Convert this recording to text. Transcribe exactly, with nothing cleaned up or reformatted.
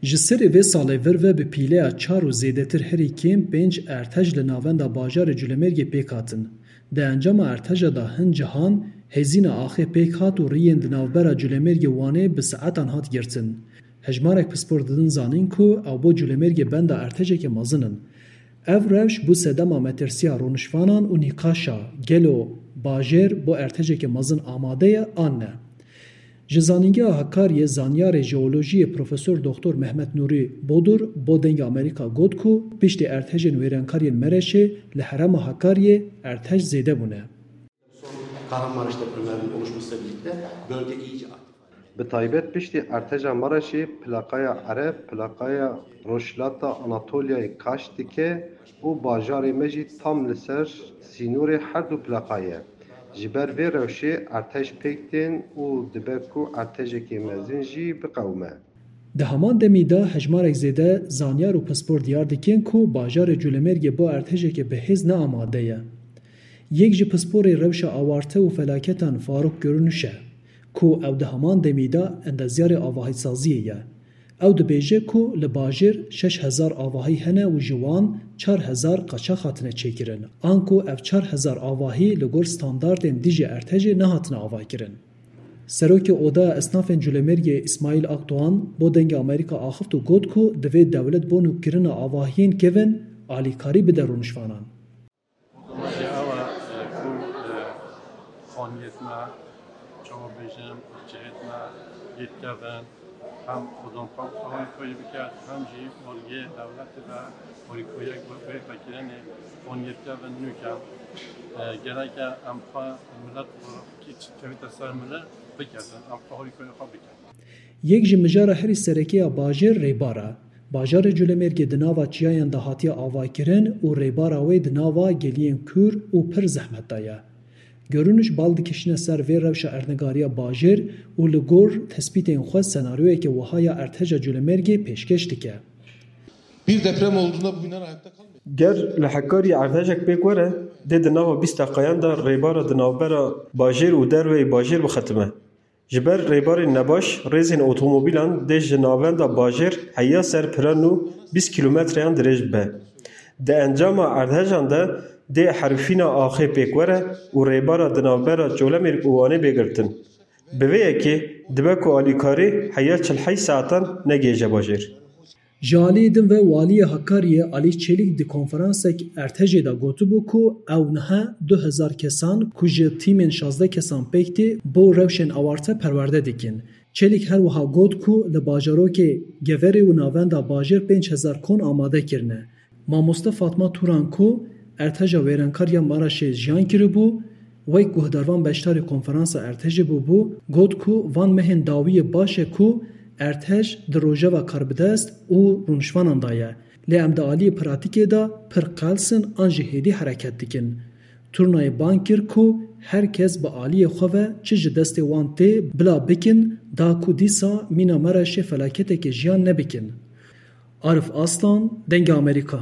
Ji serê vê salê vir ve bi pîleya çar û zêdetir herî kêm pênc ertej li navenda bajarê Culemêrgê pêk hatin. Di encama erteja de hin cihan hêzîna axê pêk hat û riyên di navbera Culemêrgê Wanê bi saetan hat girtin. Hejmarek pispor didin zanîn ku ew bo Culemêrgê benda ertejeke mezin in. Ev rewş bû sedema metirsiya rûniştvanan û nîqaşa gelo bajêr bo ertejeke mezin amade ye an ne. Ji Zanîngeha Hakariyê zanyarê jeolojiyê Profesor Doktor Mehmet Nûrî Bodur bo Dengê Amerîka got ku piştî ertejên wêrankariyên Mereşê li herêma Hakariyê ertej zêde bûne. Kahramanmaraş depremlerinin oluşmasıyla birlikte bölge iyice aktif hale geldi. Bi taybet piştî erteja Mereşê plaqaya ereb, plaqaya Rojhilata Anatolyayê kaş dike û bajarê me jî tam li ser sînorê her du plaqa ye. Ji ber vê rewşê ertej pêk tên û dibe ku ertejekê mezin jî biqewime. Di heman demî de hejmarek zêde zanyar û pispor diyar dikin ku bajarê Culemêrgê bo ertejeke bihêz ne amade ye. Yek ji pisporê rewşa awarte û felaketan Faruk Görünüş e, ku ew di heman demî de endezyarê avahîsaziyê ye. Ew dibêje ku li bajêr şeş hezar avahî hene û ji wan çar hezar qaçax hatine çêkirin, anku ev çar hezar avahî li gor standartên dijî ertejê nehatine avakirin. Serokê Odaya Esnafên Culemêrgê Îsmaîl Akdoğan bo Dengê Amerîka axift û got ku divê dewlet bo nûkirina avahiyên kevin alîkarî bide rûniştvanan. Ewa, e, ku, e, xaniyêt me, çawa bêjim, cihêt me, yê kevin, hem xwedon xwe harîkoyî biket, hem jî aliyê dewletê ve harîkoyek bi vê vekirinê xaniyêt kevin nûke. E, gereke em xwe milet olarak kî kevite ser milet biketin, em xwe harîkoyê xwe bikin. Yek ji mijara herî sereke ya bajêr rêbar e. Bajarê Culemêrgê di nava çiyayan de hatiye avakirin û rêbara wê di nava geliyên kûr û pir zehmet de ye. Görünüş bal dikişîne ser vê rewşa erdnîgariya bajêr û li gor tespîtên xwe senaryoyeke wiha ya erteja Culemêrgê pêşkêş dike. Bir deprem olduğunda bu binalar ayakta kalmıyor. Ger li Hekarî erdhejek pêk were, dê di nava bîst deqayan de rêbara di navbera bajêr û derveyî bajêr bixetime. Ji ber rêbarên nebaş, rêzên otomobîlan dê ji navenda bajêr heya ser pira nû bîst kîlometreyan dirêj bibe. Di encama erdhejan de dê herifîna axê pêk were û rêbara di navbera Colemêrg û Wanê bê girtin. Bi vê yekê dibe ku alîkarî heya çil heyş saetan negihêje bajêr. Ji aliyê din ve Waliyê Hakariyê Alî Çelîk di konferansek ertejê de gotibû ku ew niha du hezar kesan ku ji tîmên şazdeh kesan pêk tê bo rewşên awarte perwerde dikin. Çelîk her wiha got ku li bajarokê Geverê û navenda bajêr pênc hezar kon amade kirine. Mamoste Fatma Turan ku erteja wêrenkar ya Maraşê jiyan kiribû, wek guhdarvan beşdarî konferansa ertejê bûbû, got ku van mehên dawiyê baş e ku ertej di rojeva karbidest û rûniştvanan de ye. Lê em di aliyê pratîkê de pir qels in an jî hêdî hereket dikin. Turnayê bang kir ku her kes bi aliyê xwe ve çi ji destê wan tê bila bikin, da ku dîsa mîna Maraşê felaketeke jiyan nebikin. Arif Aslan, Dengê Amerîka.